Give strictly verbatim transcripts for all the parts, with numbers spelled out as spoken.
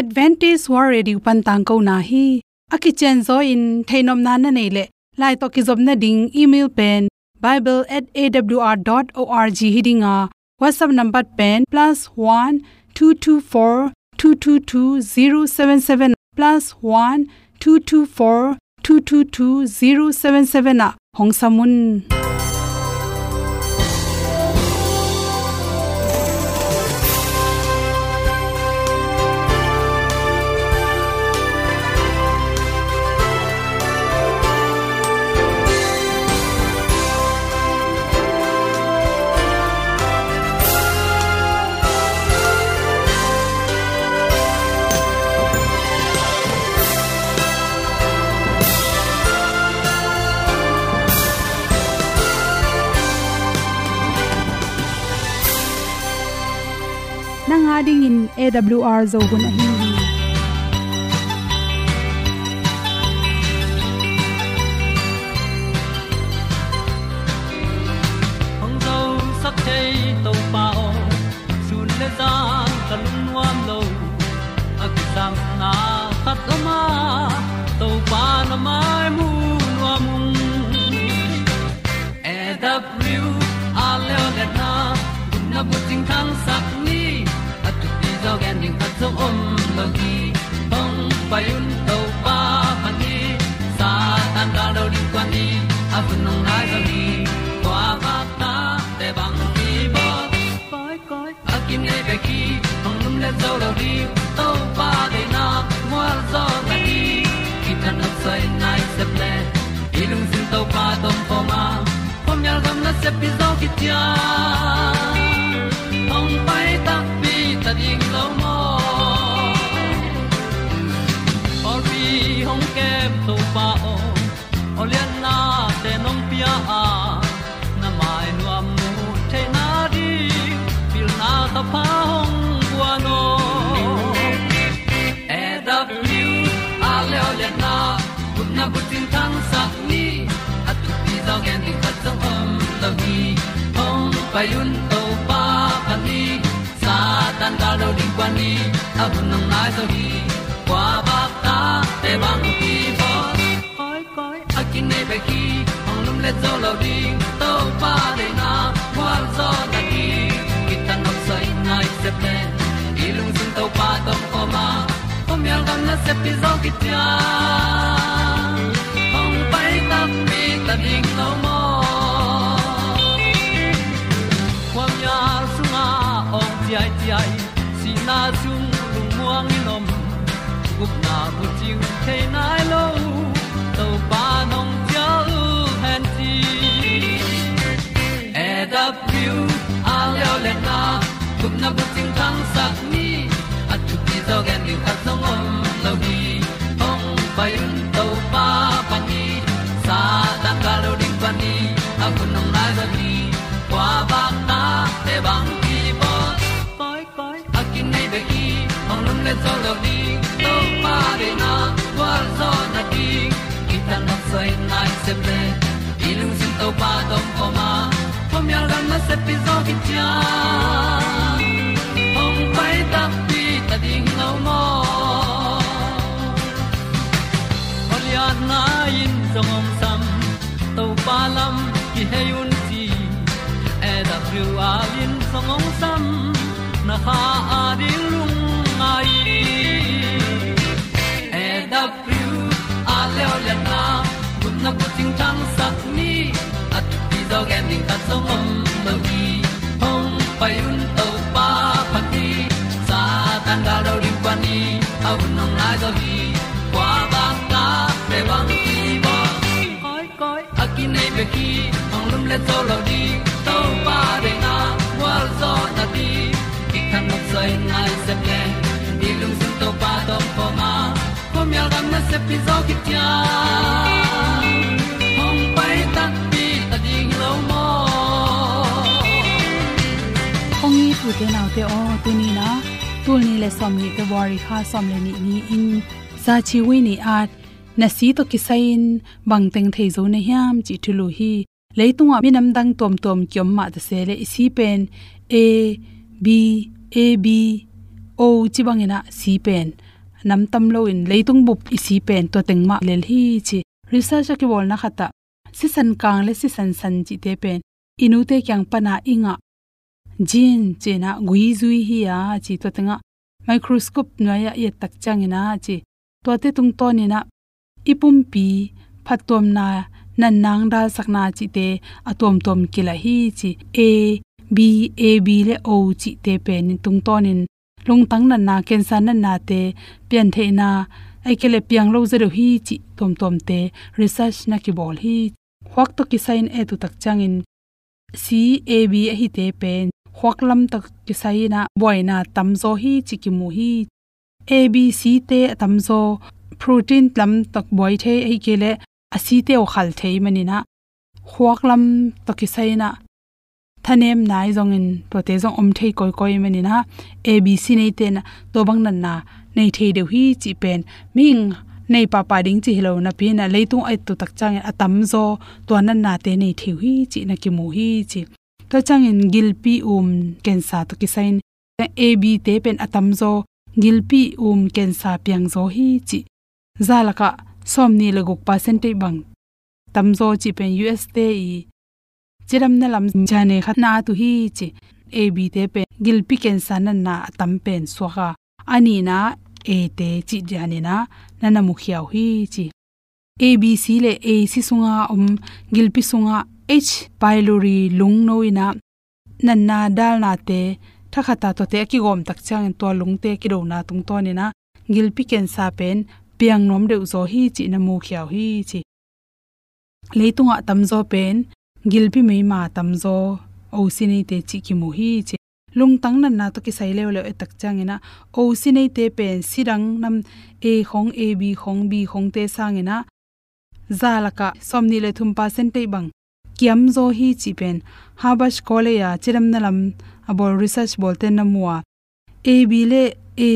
Adventist World Radio pan tangkona hi. A kicianzaw in theihnopna na neih leh, lai tawh kizopna ding email pen bible at A W R dot org hi ding a, WhatsApp number pen plus one two two four two two two zero seven seven, plus one two two four two two two zero seven seven ah hong sam un. Nang a dingin A W R Zo hun ahi hi. Hong zosak thei Topa aw, sun le zan ka lungnuam lo. A kisapna khat om a, Topa na mai mu nuam ung. A W R leo le na, gupna bucing thangsak ni, a thupi zaw gen ding khat zong om lo hi. Hong pai un Topa pan hi, Satan gal lo ding kuan ni, a hun hong nai zaw hi. Kua vakna te bang hi bawl. Koi, koi, a kinei bek hi, hong lumlet zo lo ding, Topa deihna mual zaw na hi. Kithat nopsai nai sep le, i lungsim Topa tawh om khawm a, khuamial gam nasep pi zaw khit ciang, hong pai takpi ta ding lo maw. Pawlpi hong kem Topa aw, awlianna te nong pia a, na mai nuam mu theihna ding, pilna thapha hong guan aw. A W R leo le na, gupna bucing thangsak ni, a thupi zaw gen ding khat zong om lo hi. Hong pai un Topa pan hi, Satan gal lo ding kuan ni, a hun hong nai zaw hi. Kua vakna te bang hi bawl. Koi, koi, a kinei bek hi, hong lumlet zo lo ding, Topa deihna mual zaw na hi. Kithat nopsai nai sep le, i lungsim Topa tawh om khawm a, khuamial gam nasep pi zaw khit ciang, hong pai takpi ta ding lo maw. Khuamial sungah awng ciaiciai, sihna sung lungmuang in om, gupna bucing thei nai lo, Topa nong cial hen ci. A W R leo le na, gupna bucing thangsak ni, a thupi zaw gen ding khat zong om lo hi. Hong pai un Topa pan hi, Satan gal lo ding kuan ni, a hun hong nai zaw hi. Kua vakna te bang hi bawl. Koi, koi, a kinei bek hi, hong lumlet zo lo ding, Topa deihna mual zaw na ding. Kithat nopsai nai sep le, i lungsim Topa tawh om khawm a, khuamial gam nasep pi zaw khit ciang, hong pai takpi ta ding lo maw. Awlianna in zong hong sam, Topa lam kihei un ci. A W R in zong hong sam, na kha a ding lungngai. A W R leo le na, gupna bucing thangsak ni, a thupi zaw gen ding khat zong om lo hi. Hong pai un Topa pan hi, Satan gal lo ding kuan ni, a hun hong nai zaw hi. Kua vakna te bang hi bawl. Koi, koi, a kinei bek hi, hong lumlet zo lo ding, Topa deihna mual zaw na ding. Kithat nopsai nai sep le, i lungsim Topa tawh om khawm a, khuamial gam nasep pi zaw khit ciang, hong pai takpi ta ding lo maw. Hong it u te nau te aw, tuni-in ah, tul nih le sawmnih February kha sawm le nih ni-in, Zachiwui ni-at, na si tawh kisai-in bang teng thei zo na hiam cih thulu hi. Leitungah minam dang tuamtuam kiom mah ta se leh, i si pen A, B, A, B, O ci bangin ah C pen nam tam loin leitung bup i C pen tua teng mah lel hi ci. Research a kibawlna khat ah sisan kang le sisan san cihte pen i nute kiang pana i ngah gene ci-in ah gui zui hi a ci. Tua teng ah microscope nuai-ah i et tak ciangin ah ci, tuate tungtawnin ah i pumpi phattuamna, natna, dalsakna cihte a tuamtuam kilah hi ci. A, B, A B le O cihte pen tungtawnin lungtang natna, cancer natnate piantheihna, ahih kei leh piang lo zaw deuh hi cih tuamtuamte research na kibawl hi. Khuak tawh kisai-in et uh tak ciangin C, A B ahite pen khuak lam tawh kisai-in ah buaina tamzaw hi cih kimu hi. A B C te a tamzaw protein lam tawh buai thei, ahih kei leh a C te uh khal thei manin ah khuak lam tawh kisai-in ah thanemna ahi zongin tuate zong om thei kawikawi manin ah A B C neite in ah tua bang natna nei thei deuh hi cih pen mihing nei pahpah ding cih hi lo napi-in ah leitung a et uh tak ciangin a tamzaw tua natnate nei thei uh hi cih na kimu hi ci. Tua ciangin gilpi um cancer tawh kisai-in A B te pen a tamzaw gilpi um cancer piangzaw hi cih. Za lakah sawmnih le guk percent bang tamzaw cih pen U S te i cidamna lam gene khat na at uh hi ci. A B te pen gilpi cancer natna a tam pen suak a, a nihna A te cih danin ah na na mukhia uh hi ci. A B C le A C sunga om gilpi sunga H pylori lungno in ah natna dalnate thakhat a tuate a kigawm tak ciangin tua lungte kidona tungtawnin ah gilpi cancer pen piang nuam deuh zaw hi cih na mukhia uh hi ci. Leitungah tamzaw pen gilpi meima tamzaw O C neite cih kimu hi ci. Lungtang natna tawh kisai leuleu et tak ciangin ah O C neite pen si dang nam A khong, A B khong, B khongte sangin ah za lakah sawmnih le thum percent bang kiamzaw hi cih pen Harvard College a cidamna lam a bawl research bawlte na mu a, A B le A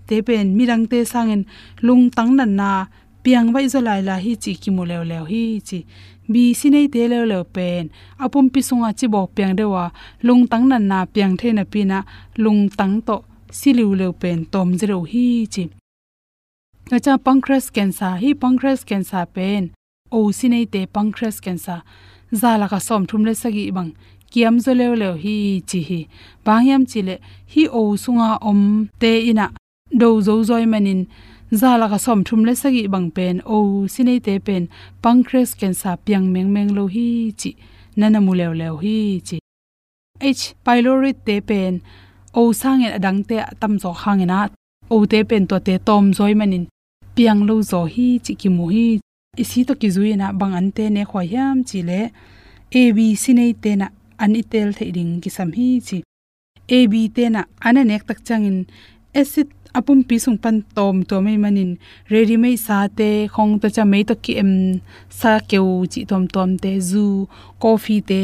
te pen midangte sangin lungtang natna piang baih zaw lailai hi cih kimu leuleu hi ci. B C neite leuleu pen a pumpi sungah cibawk piang deuh a, lungtang natna piang thei napi-in ah lungtang tawh si liuleu pen tawm zaw deuh hi ci. Tua ciang pancreas cancer, hih pancreas cancer pen O C neite pancreas cancer za lakah sawmthum le sagih bang kiamzaw leuleu hi ci hi. Bang hiam cih leh hih O sunga omte in ah do zo zaw ahih manin za lakah sawmthum le sagih bang pen O C neite pen pancreas cancer piang mengmeng lo hi cih na na mu leuleu hi ci. H pylori te pen O sangin a dangte a tamzaw hangin ah O te pen tuate tawmzaw ahih manin piang lo zaw hi cih kimu hi. I C tawh kizui-in ah bang ante nekhuai hiam cih leh A B C neite in ah an i tel theih ding kisam hi ci. A B te in ah an a nek tak ciangin acid a pumpi sung pan tawmtuam ahih manin ready-made sate khong, tua ciang mei tawh ki-em sa keu cih tuamtuamte, zu, coffee te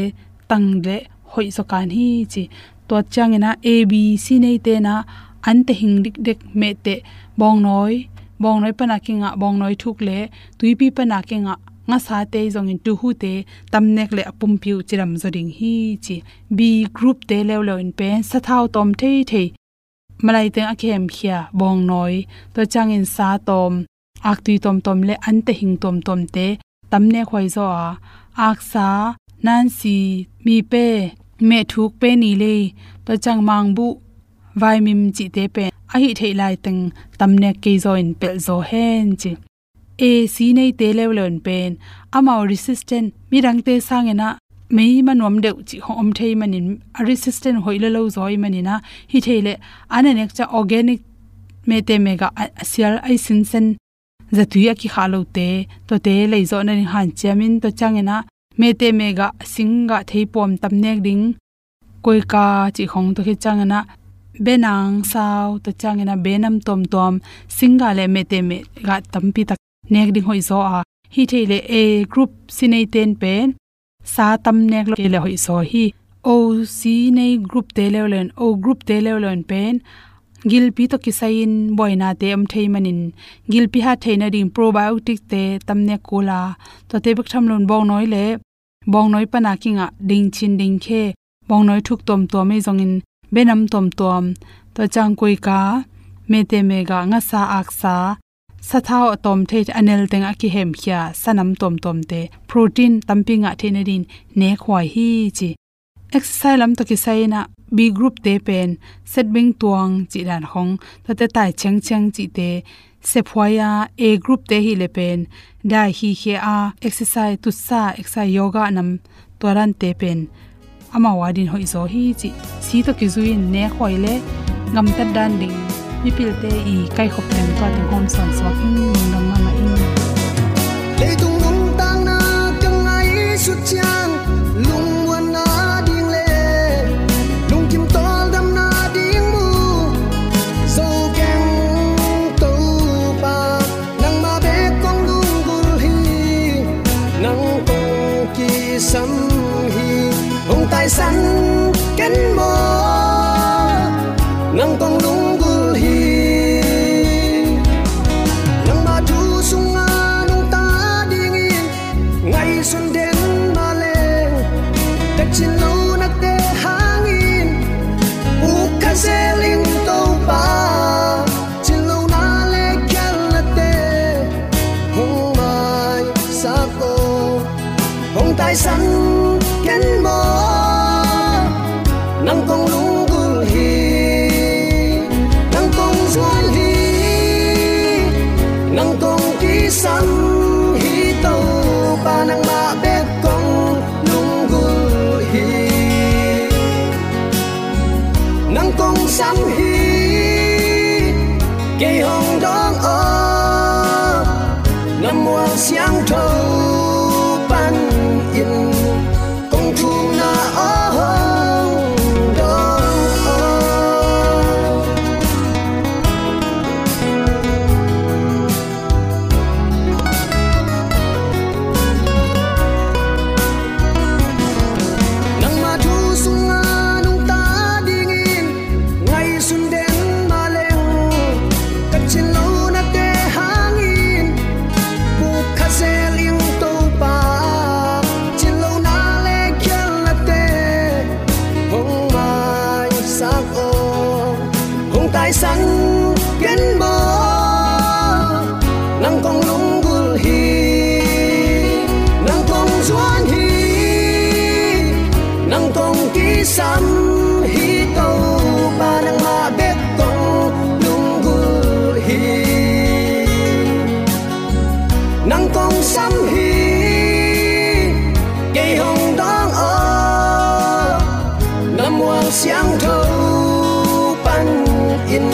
tang leh hoih zaw kan hi ci. Tua ciangin ah A B C neite in ah an tehing dikdek mehteh, bawngnawi, bawngnawi pana kingah bawngnawi thuk le tuipi pana kingah ngasate zongin tuhute tamnek leh a pumpi uh cidam zaw ding hi ci. B group te leuleu in pen sathau tawm theithei, malai teng a kihemkhia bawngnawi, tua ciangin sa tawm, aktui tawmtawm le an tehing tawmtawmte tamnek huai zaw a, aksa, nansi, mipe, mehthuk, penilei, tua ciang mangbuh, vaimim cihte pen a hih theih laiteng tamnek kei zaw in pelh zaw hen ci. A C neite leuleu in pen amau resistant, midangte sangin ah mei ma nuam deuh cih khong om thei manin a resistant hoih lua lo zaw ahih manin ah, hi thei leh an a nek ciang organic mehteh mehgah a, a sial a i sinsen zatui a kikhah lote, tuate leizawh nading hanciamin, tua ciangin ah mehteh mehgah singgah theipuam tamnek ding, koika cih khong, tua khit ciangin ah benang sau, tua ciangin ah benam tuamtuam, singgah le mehteh mehgah tampi tak nek ding hoih zaw a, hi thei leh A group C neite in pen sa tamnek lo kei leh hoih zaw hi. O C nei group te leuleu in, O group te leuleu in pen gilpi tawh kisai-in buainate om thei manin gilpi hat theih nading probiotic te tamnek kul a, tuate bek tham loin bawngnawi le bawngnawi pana kingah dingchin dingkhe, bawngnawi thuk tuamtuam ei zongin benam tuamtuam, tua ciang koika, mete mega, ngasa, aksa, sathau a tawm thei, a nel teng a kihemkhia sanam tuamtuamte protein tampi ngah theih nadin nekhuai hi ci. Exercise lam tawh kisai inah B group te pen set beng tuang cih dan khong, tuate tai chengcheng cihte sephuai a, A group te hi le pen dai hi khia a, exercise tutsa, exercise yoga nam tua dante pen amau a din hoih zaw hi cih si tawh kizui in nekhuai le gamtat dan ding mipilte i kaikhop teng tua teng hawm sawn suak in lungdam mahmah in. Leitung nuntakna ka ngaihsut ciang lungmuanna ding le lungkim tawldamna ding mu zo keng Topa, nangmah bek kong lunggulh hi, nang kong kisam hi. Hong taisan ken maw, nang kong lunggulh hi. Nangmah thu sungah nungta dingin ngaihsun den mah leng, ka cinlonate hangin uk kha zel ing Topa. Cinlona le khialnate hong maisak aw, hong taisan ken maw, nang kong lunggulh hi, nang kong zuan hi, nang kong kisam hi Topa, nangmah bek kong lunggulh hi. Nang kong sam hi, kei hong dawng aw, na mual siangtho panin kong thumna aw hong dawng aw. Nangmah thu sungah nungta dingin ngaihsun den mah leng, ka cinlonate hangin uk kha zel ing Topa. Cinlona le khialnate hong maisak aw, hong taisan ken maw, nang kong lunggulh hi, nang kong zuan hi, nang kong kisam hi Topa, nangmah bek kong lunggulh hi. Nang kong sam hi, kei hong dawng aw, na mual siangtho panin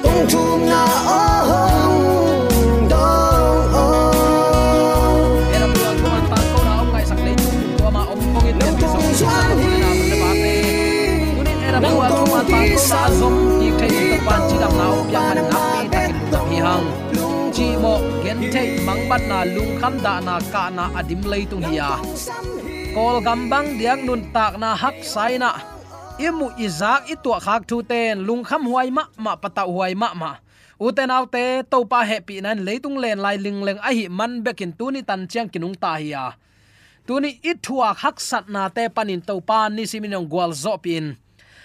kong thumna aw hong dawng aw. Nang kong zuan hi, nang kong kisam hi Topa, nangmah bek kong lunggulh hi. Cihmawh, gentheih, mangbatna, lungkham dahna, kahna a dim leitung hi a, Kawlgam bang diak nuntakna haksa inah i muh i zak i tuahkhak thute in lungkhamhuai mahmah, patauhhuai mahmah. Ute naute, Topa hehpihna in leitung lenlai lingleng ahih man bekin tuni tan ciang kinungta hi a, tuni i thuak haksatnate panin Topa nisimin hong gualzawhpih in,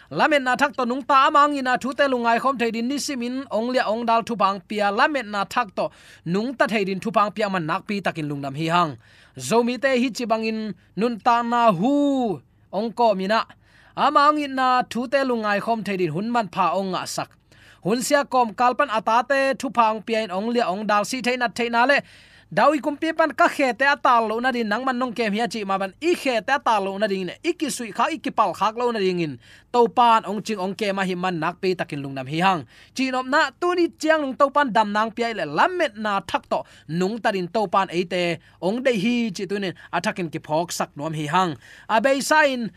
lametna thak tawh nungta, ama hong itna thute lungngaikhawm thei dingin nisimin hong liah hong dal thupha hong pia, lametna thak tawh nungta thei dingin thupha hong pia, man nakpi takin lungdam hi hang. Zomite hi ci bangin nuntakna hu hong kawm inah, ama hong itna thute lungngaikhawm thei dingin hun manpha hong ngahsak, hunsia kawmkal pan a tate thupha hong pia in hong liah hong dal, sih theih nat theihna le David kumpi pan ka khete a tar loh nadingin nangman nong kem hi a cih mah bang, i khete a tar loh nadingin, i kisuihkhak, i kipalkhak loh nadingin Topa in hong cing hong kem ahih man nakpi takin lungdam hi hang. Cihnopna, tuni ciang nung Topa in damna hong pia hi leh lametna thak tawh nungta dingin Topa in eite hong deih hi cih tuni in a thakin kiphawksak nuam hi hang. A beisa in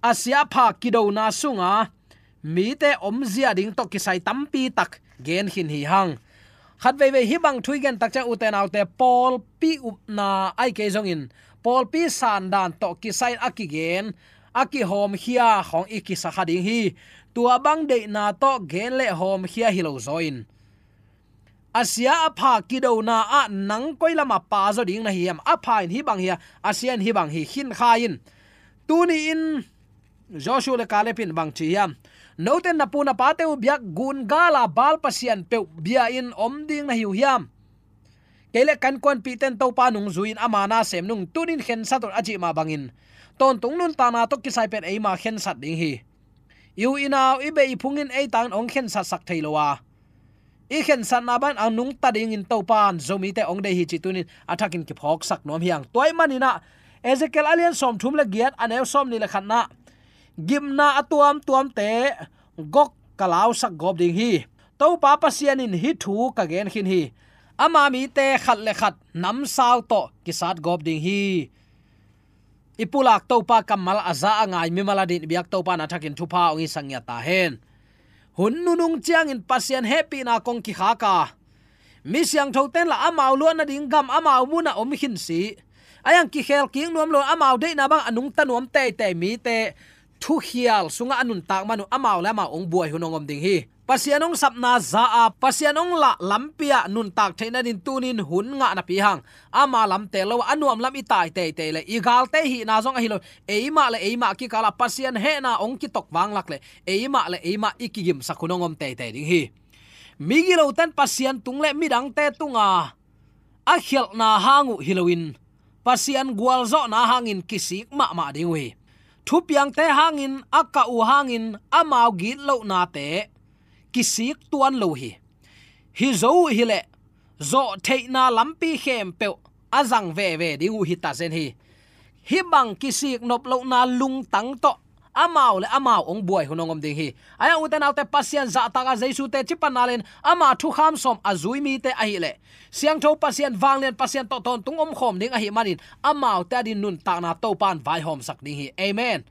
a sia a pha kidona sunga mite omzia ding tawh kisai tampi tak gen khin hi hang. Khat veivei hih bang thu i gen tak ciang, ute naute, pawlpi upna ahih kei zongin pawlpi sandan tawh kisai a kigen, a kihawmkhia khawng i kisa kha ding hi. Tua bang deihna tawh gen le hawmkhia hi lo zaw in, a sia a pha kidona ah nang koi lamah pa zaw ding na hi hiam? A pha in hih bang hi a, a sia in hih bang hi, khin kha in. Tuni in Joshua le Caleb in bang ci hiam? Note na pu na pate uh biak gun gala Baal pasian peuh bia-in om ding na hi uh hiam? Kei le kan kuanpihten Topa nungzui-in ama na sem nung tunin khensat un a cih mah bangin tawntung nuntakna tawh kisai pen eima khensat ding hi. I u i nau i beh i phungin ei tangin hong khensatsak thei lo a, i khensatna bang a nungta dingin Topa in Zomite hong deih hi cih tunin a thakin kiphawksak nuam hi hang. Tua ahih manin ah Ezekiel a lian sawmthum le giat a neu sawmnih le khatna, gimna a tuamtuamte gok ka lausak gawp ding hi. Topa Pasian in hih thu ka gen khin hi. Ama mite khat le khat namsau tawh kisat gawp ding hi. I pulak Topa kammal a za a ngai mimal adingin i biak Topa na thakin thupha hong hisak ngiat ta hen. Hun nunung ciangin Pasian hehpihna kong kikhak a, mi siangthoten lah amau luah nading gam amau munah om khin si. A iang kikhel kik nuam lo, amau deihna bang a nungta nuam teitei mite thukhial sungah a nuntak man uh amau le amau hong buai hun hong om ding hi. Pasian hong sapna za a, Pasian hong lah lampi ah nuntak theih nading tunin hun ngah napi hang, ama lamte lo a nuam lam i tai teitei le i galte hihna zong ahi lo, eimah le eimah kikal ah Pasian hehna hong kitok vanglak le eimah le eimah i kigimsak hun hong om teitei ding hi. Migiloten Pasian tung le midangte tunga a khialhna hang uh hi loin Pasian gualzawhna hangin kisik mahmah ding uh hi. Thupiangte hangin a kah uh hangin amau gitlohnate kisik tuan lo hi. Hi zo uh hileh zawhtheihna lampi khempeuh a zang veve ding uh hi ta zen hi. Hih bang kisik nop lohna lungtang tawh amau le amau hong buai hun hong om ding hi. A iang ute naute, Pasian zahtak a Jesu teci panna le-in ama thukham sawm a zui mite ahileh siangtho Pasian, vanglian Pasian tawh tawntung omkhawm ding ahih manin amaute adingin nuntakna Topa in vaihawmsak ding hi. Amen.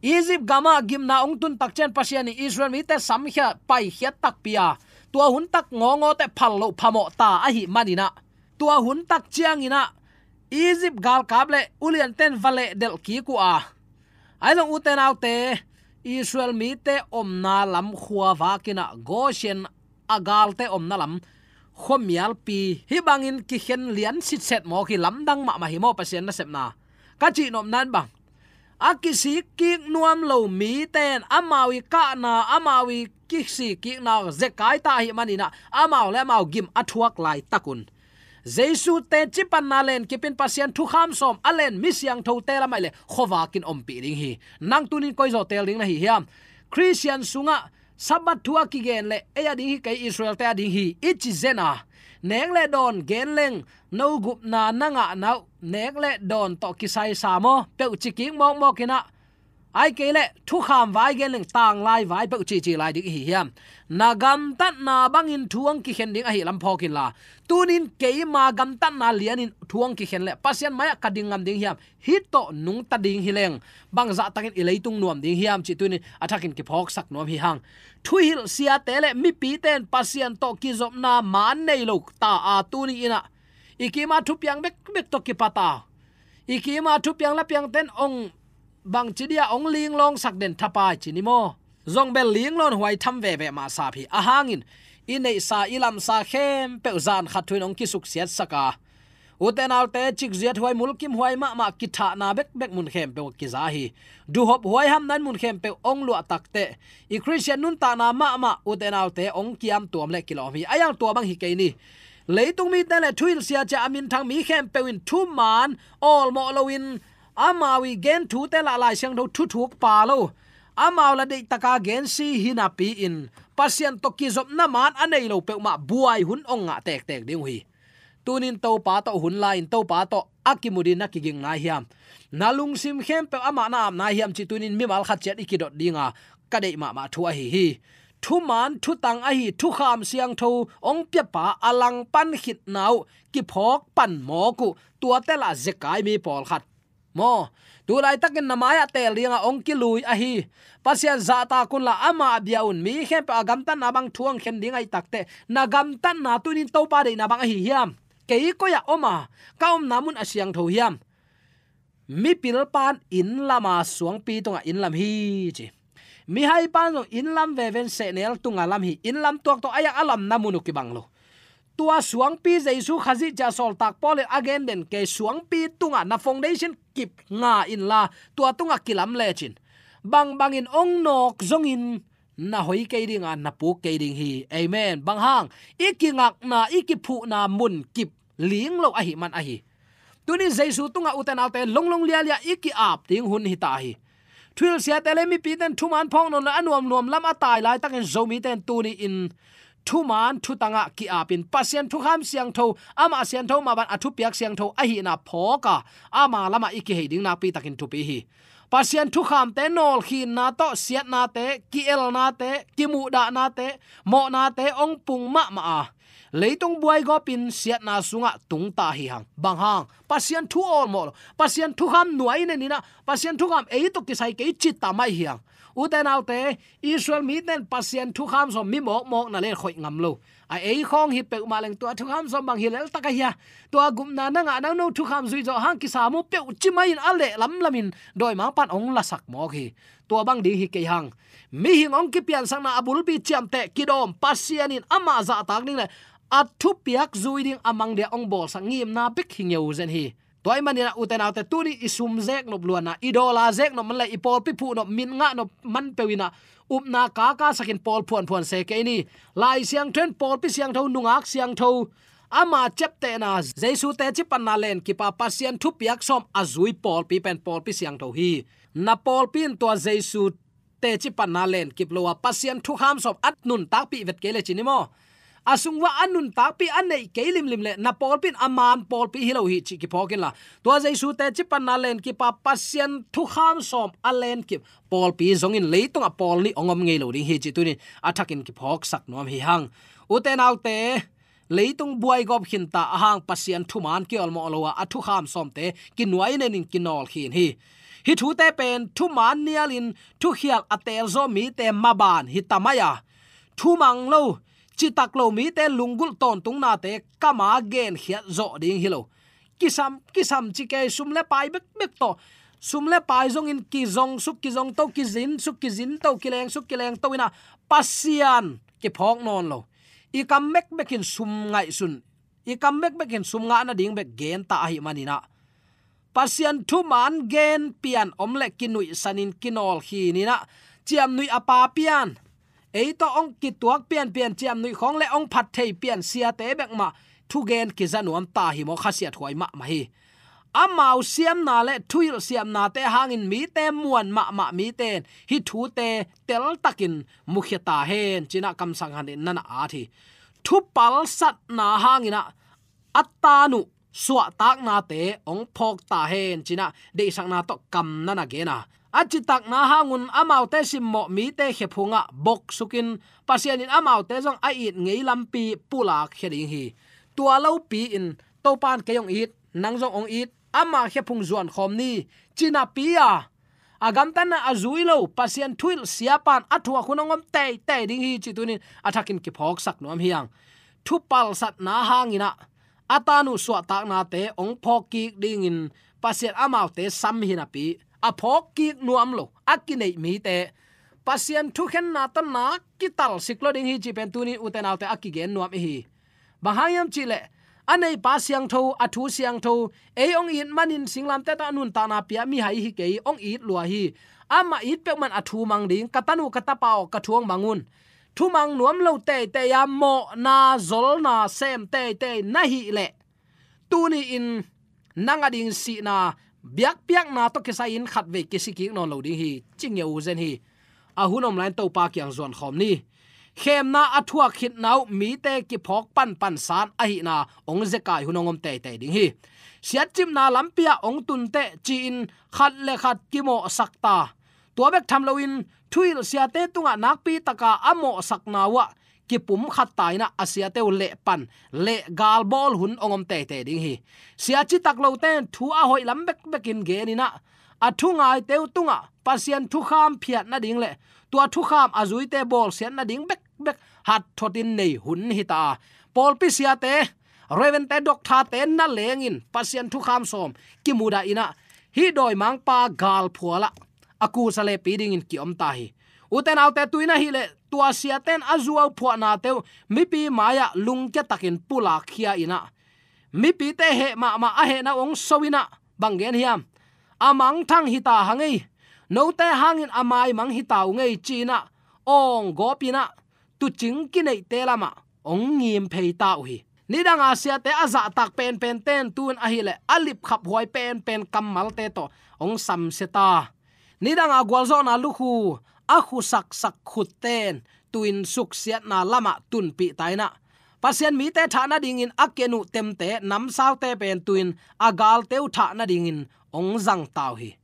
Egypt gamah gimna hong tun tak ciang Pasian in Israel mite samkhia paikhiat takpi a, tua hun tak ngawngawte phal loh phamawh ta ahih manin ah, tua hun tak ciangin ah Egypt galkap le ulianten va lehdelh kik uh a, ahi zong ute naute, Israel mite omna lam khuavak in ah Goshen a galte omna lam khuamialpi hih bangin kikhen lian sitset mawk hi. Lamdang mahmah hi maw Pasian nasepna? Ka cihnopna in bang, a kisik kik nuam lo mite in amau i kahna, amau i kisik kikna zekai ta ahih manin ah amau le amau gim a thuak laitak un Jesu teci panna lenkip in Pasian thukham sawm a len mi siangthote lam ahih leh khuavak in ompih ding hi. Nang tunin koi zaw teel ding na hi hiam? Khristian sungah Sabbath thu a kigen leh ei a ding hi kei, Israel-te a ding hi i ci zen a, nek le dawn gen leng no gupna na ngahna uh nek le dawn tawh kisai sa maw peuh ci kik mawkmawk in ah, ahih kei leh thukham vai gen leng tanglai vai peuh cici lai ding i hi hiam? Na gamtatna bangin thu hong kikhen ding ahih lam phawk inla, tunin keima gamtatna lianin thu hong kikhen leh Pasian mai-ah ka ding ngam ding hiam? Hih tawh nungta ding hi leng bang zahtakin i leitung nuam ding hiam cih tunin a thakin kiphawksak nuam hi hang. Thuhilh siate le mipite in Pasian tawh kizopna maan nei lo ta a, tuni in ah i kima thupiang bekbek tawh kipat a, i kima thupiang lapiangten hong bangci dia hong linglawngsak den thapai ci ni maw? Zong bel linglawn huai tham veve mah sap hi. A hangin i neihsa i lamsa khempeuh zan khat thu in hong kisuksiatsak a, ute naute, cikziat huai, mulkimhuai mahmah kithahna bekbek mun khempeuh kiza hi. Duhhop huai hamna in mun khempeuh hong luah takteh i Khristian nuntakna mahmah ute naute hong kiamtuam le kilawm hi. A iang tua bang hi kei ni. Leitung mite le thuhilh sia cia a minthang mi khempeuh in thuman awlmawh loin amau i gen thute lah Lai Siangtho thuthuk pa lo, amau lah deihtaka gensi hi napi-in Pasian tawh kizopna maan a nei lo peuhmah buai hun hong ngah tektek ding uh hi. Tunin Topa tawh hun la-in Topa tawh a kimu dingin na kiging nai hiam? Na lungsim khempeuh amah na ap nai hiam cih tunin mimal khat ciat i kidot dinga ka deih mahmah thu ahi hi. Thuman thutang ahi thukham siangtho hong piapa a langpan khitna uh kiphawk pan mawk uh, tuate lah zekai mi pawlkhat maw, tu laitakin na mai-ah teel dinga hong kilui ahi. Pasian zahtak unla amah bia un. Mi khempeuh a gamtatna bang thu hong khen ding ahih takteh na gamtatna tunin Topa deihna bang ahi hiam? Kei koi-ah om a, ka omna mun a siangtho hiam? Mipilpa'n inn lama suangpi tungah inn lam hi ci. Mihaipa'n zong inn lam veven sehnel tunga lam hi. Inn lam tuak tawh a iang a lamna mun uh kibang lo. Tua suangpi Jesu Khazih cia sawltak Paul in a gen den kei, suangpi tungah na foundation kip nga inla tua tungah kilam lecin bangbangin hong nawk zongin na hoi kei ding a, na puk kei ding hi. Amen. Bang hang, i kingakna, i kiphuhna mun kip ling lo ahi man ahi. Tuni Jesu tungah ute naute longlong lialia i ki-ap ding hun hita hi. Thuhilh siate le mipite in thuman phawk nawn lo a, nuamnuam lam a tai laitakin Zomite in tuni in thuman thutangah ki-apin Pasian thukham siangtho, amah siangtho mah bang a thupiak siangtho ahihna phawk a, ama lamah i kihei ding nakpi takin thupi hi. Pasian thukhamte nawlkhinna tawh siatnate, ki-elnate, kimuhdahnate, mawhnate hong pung mahmah a, leitung buaigawpin siatna sungah tungta hi hang. Bang hang, Pasian thu awlmawh lo, Pasian thukham nuai neninah, Pasian thukham ei tawh kisai kei cita mai hi hang. Ute naute, Israel mite in Pasian thukham sawm mi mawkmawk na le khoih ngam lo. A ei khawng hi peuhmah leng tua thukham sawm bang hi leltak ahi a, tua gupna na ngah nang no thukham zuih zawh hang kisam uh peuh ci mai in a leh lamlamin dawimangpan hong lasak mawk hi. Tua bang ding hi kei hang. Mihing hong kipiansakna a bulpi ciamteh kidawm Pasian in amah zahtak ding le a thupiak zui ding a mang dia hong bawlsak ngimna bek hi ngeu zen hi. Tua ahih maninah ute naute tuni i sum zeknop luanna, i dawla zeknop man le i pawlpi phuhnop, min ngahnop man peuh inah upna kakasakin pawl phuanphuan se kei ni. Lai Siangtho in pawlpi siangtho, nungak siangtho, ama ciaptehna, Jesu teci panna lenkip a Pasian thupiak sawm a zui pawlpi pen pawlpi siangtho hi. Na pawlpi in tua Jesu teci panna lenkip lo a, Pasian thukham sawm a nuntakpih vet kei le ci ni maw? A sung uah a nuntakpih a neih kei limlim le na pawlpi in a man pawlpi hi lo hi cih kiphawk inla, tua Jesu teci panna lenkip a Pasian thukham sawm a lenkip pawlpi zongin leitungah pawl nih hong om ngei lo ding hi cih tunin a thakin kiphawksak nuam hi hang. Ute naute, leitung buaigawp khinta a hang Pasian thuman kiawlmawh lo a, a thukham sawmte kinuai nenin kinawl khin hi. Hih thute pen thuman nialin thukhial a teelzaw mite maban hi ta mai a, thumang lo, citak lo mite lunggulh tawntungnate kama genkhiat zawh ding hi lo. Kisam, kisam ci kei, sum le pai bekbek tawh, sum le pai zongin kizong suk kizong to, kizin suk kizin to, kileng suk kileng to inah Pasian kiphawk nawn lo. I kam bekbek in sum ngaihsun, i kam bekbek in sum ngah nading bek genta ahih maninah Pasian thuman gen pian om le kinuihsanin kinawl khininah ciamnuih a pa pian, ei tawh hong kituak pianpian ciamnuih khawng le hong phat thei pian siate bek mah thugen kiza nuam ta hi maw, khasiat huai mahmah hi. Amau siamna le thuhilh siamnate hangin mite muan mahmah mite in hih thute teltakin mukhia ta hen cinah kamsang hanin na na at hi. Thupalsatna hanginah a tan uh suahtaknate hong phawk ta hen cinah deihsakna tawh kam na na gen a, a citakna hangun amaute simmawh mite khephungah boksukin Pasian in amaute zong a it ngei lampi pulakkhia ding hi. Tua lopi in Topa in kei hong it, nang zong hong it, ama khephung zuankhawm ni, ci napi a, a gamtatna a zui lo Pasian thuhilh siapa in a thuak hun hong om teitei ding hi cih tunin a thakin kiphawksak nuam hi hang. Thupalsatna hanginah a tan uh suahtaknate hong phawk kik dingin Pasian amaute sam hi napi, a phawk kik nuam lo a kineih mite Pasian thukhenna tawh nak kitalsik lo ding hi cih pen tunin ute naute a kigen nuam i hi. Bang hang hiam cihleh, a neipa siangtho, a thu siangtho, ei hong it manin singlamteh tawh a nuntakna pia mihai hi kei, hong it lua hi. Amah it peuhmah in a thu mang ding, ka tanu ka tapa aw, ka thu hong mang un. Thumang nuam lo teitei a, mawhna zolna sem teitei na hih leh, tuni-in nang a ding sihna biakpiakna tawh kisai-in khatvei kisi kik nawn lo ding hi, ci ngeu zen hi. A hun om lai-in Topa kiang zuankhawm ni. Khemna a thuak khitna uh mite kiphawk panpansan ahihna hong zekai hun hong om teitei ding hi. Siatcipna lampi ah hong tunteh ci-in khat le khat kimawhsak ta. Tua bek tham loin thuhilh siate tungah nakpi taka a mawhsakna uhah kipumkhat ta inah a siate uh lehpan, lehgal bawl hun hong om teitei ding hi. Sia citak lote in thu a hoih lam bekbekin gen inah a thu ngaite uh tungah Pasian thukham phiat nading le tua thukham a zuite bawlsiat nading bekbek hatthotin nei hun hi ta a, pawlpi siate, Reverend-te, doctor-te na lengin Pasian thukham sawm kimudah inah hih dawimangpa galphualah a kusa lepi dingin ki-om ta hi. Ute naute, tu-in ahih leh tua siate in a zuau phuahnate uh mipi mai-ah lungkia takin pulakkhia inah mipite heh mahmah a hehna uh hong so inah bang gen hiam? A mangthang hi ta hang ei, note hangin a maimang hi ta ung ei, ci inah awng gawp in ah tuucing kineihte lamah hong ngim phei ta uh hi. Nidanga siate a zahtak penpen ten tu-in ahih leh a lipkhaphuai penpen kammalte tawh hong samsia ta. Nidanga gualzawhna lukhu a khusaksak khut ten tu-in suksiatna lamah tunpih ta in ah, Pasian mite thah nadingin a ken uh temte namsaute pen tu-in a galte uh thah nadingin hong zang ta uh hi.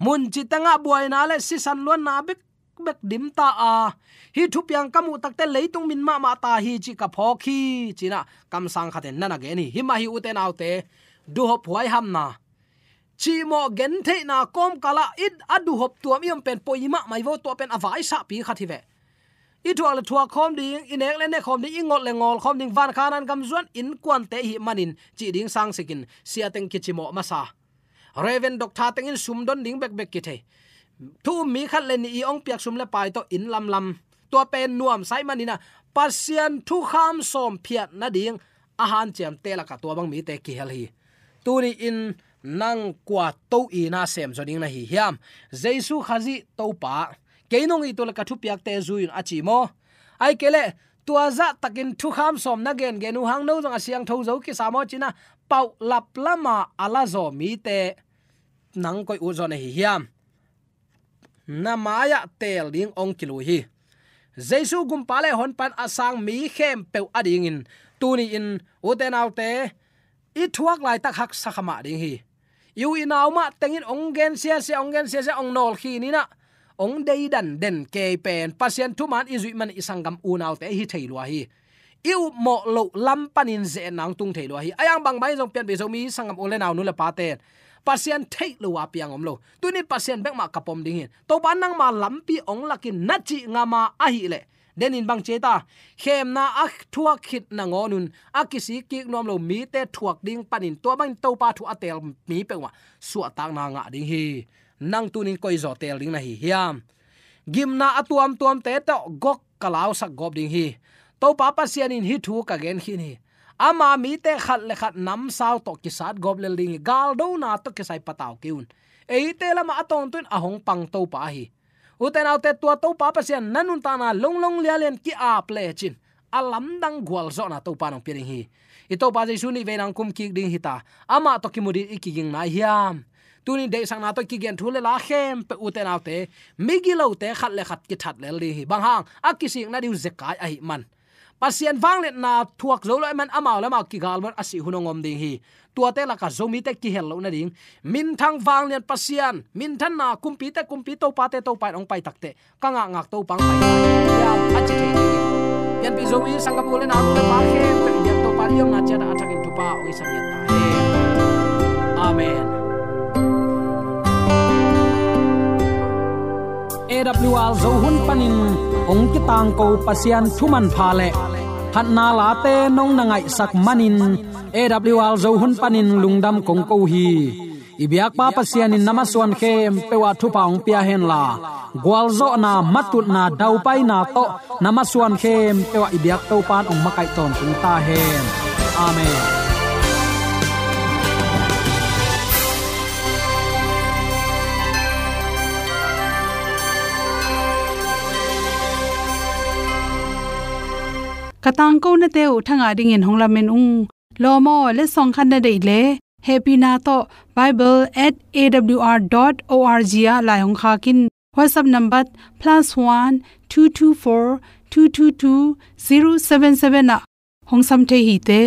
Muncitengah buaina le sisan luanna bek bek dim ta a, hih thupiang ka muh takte leitung min mahmah ta hi cih ka phawk hi, ci-in ah kamsang khat in na na gen hi. Himah hi ute naute, duhop huaihamna, cihmawh gentheihna kawmkalah i a duhop tuam i om pen poi mahmah hi vo. Tua pen a vaisahpi khat hi ve. I thuak le thuak khawm ding, i nek le nek khawm ding, i ngol le ngol khawm ding, van khanan gam zuan innkuante i hih manin cih ding sangsikin siateng kicimawh masa. Reverend Doctor tengin sum don ding bekbek kithei. Thu um mi khat le nih i hong piak sum le pai tawh inn lamlam. Tua pen nuamsa ahih manin ah Pasian thukham sawm phiat nading a hanciamte lakah tua bang mite kihel hi. Tuni-in nang kua to-in ah semzaw ding na hi hiam? Jesu Khazih Topa, kei nong it uh le ka thupiakte zui un, a ci maw? Ahih kei leh tua zahtakin thukham sawm na gengen uh hang no zong a siangtho zo kisa maw, ci-in ah paulap lama a lazaw mite nang koi ut zaw na hi hiam? Na mai-ah teel ding hong kilui hi. Jesu Gumpa le Honpa in a sang mi khempeuh adingin tuni-in ute naute, i thuak laitak haksa kha mah ding hi. I u i nau mah tengin hong gen siasia, hong gen siasia, hong nawlkhin in ah hong deidan den kei pen Pasian thuman i zuih man i sanggam unaute hi thei lua hi. I upmawh loh lam panin ze-etna hong tung thei lua hi. A yang bangmah in zong pianpih Zomi sanggam u le nau, nu le pate, Pasian theih lo a piang om lo. Tuni Pasian bek mah ka pom ding hi. Topa nangma lampi hong lak in na cih ngam a ahih leh, denin bang ci ei ta, khemna a thuak khit nangawn un a kisik kik nuam lo mite thuak ding panin tua bangin Topa thu a teel mi peuhmah suahtakna ngah ding hi. Nang tunin koi zaw teel ding na hi hiam? Gimna a tuamtuamte tawh gok ka lausak gawp ding hi. Topa Pasian in hih thu ka gen khin hi. Ama mite khat le khat namsau tawh kisat gawp lel ding hi. Galdona tawh kisai patau kei un. Eite lamah a tawntung in a hong pang Topa ahi. Ute naute, tua Topa Pasian na nuntakna longlong lialian ki-ap lecin a lamdang gualzawhna Topa in hong pia ding hi. I Topa Jesu nih vei nang kum kik ding hi ta. Amah tawh kimu ding i kiging nai hiam? Tuni deihsakna tawh i kigen thu le la khempeuh ute naute, migilote khat le khat kithat lel ding hi. Bang hang? A kisikna ding uh zekai ahih man. Pasian vangliatna thuak zo lo ahih man amau le amau kigal man a sih hun hong om ding hi. Tuate lakah Zomite kihel loh nading minthang vanglian Pasian, minthanna kumpite kumpi, topate Topa in hong pai takteh ka ngakngak Topa hong pai ta hi, a ci thei ding hi. Pianpih Zomi sanggam u le nau, nu le pa khempeuh i biak Topa in i omna ciat ah a thakin thupha hong hisak ngiat ta hen. Amen. A W R Zo hun panin hong kitangko Pasian thu manpha le phatna late nong na ngaihsak manin A W R Zo hun panin lungdam kong ko hi. I biakpa Pasian in na masuan khempeuh ah thupha hong pia henla, gualzawhna, matutna, daupaina tawh na masuan khempeuh ah i biak Topa in hong makaih tawntung ta hen. Amen. Ka tangkonate uh thangah dingin hong lamen ung. Lawm aw, letsong khat na deih leh hehpihna tawh bible at A W R dot O R G ah lai hong khak in. WhatsApp number plus one two two four two two two zero seven seven ah hong sam thei hi te.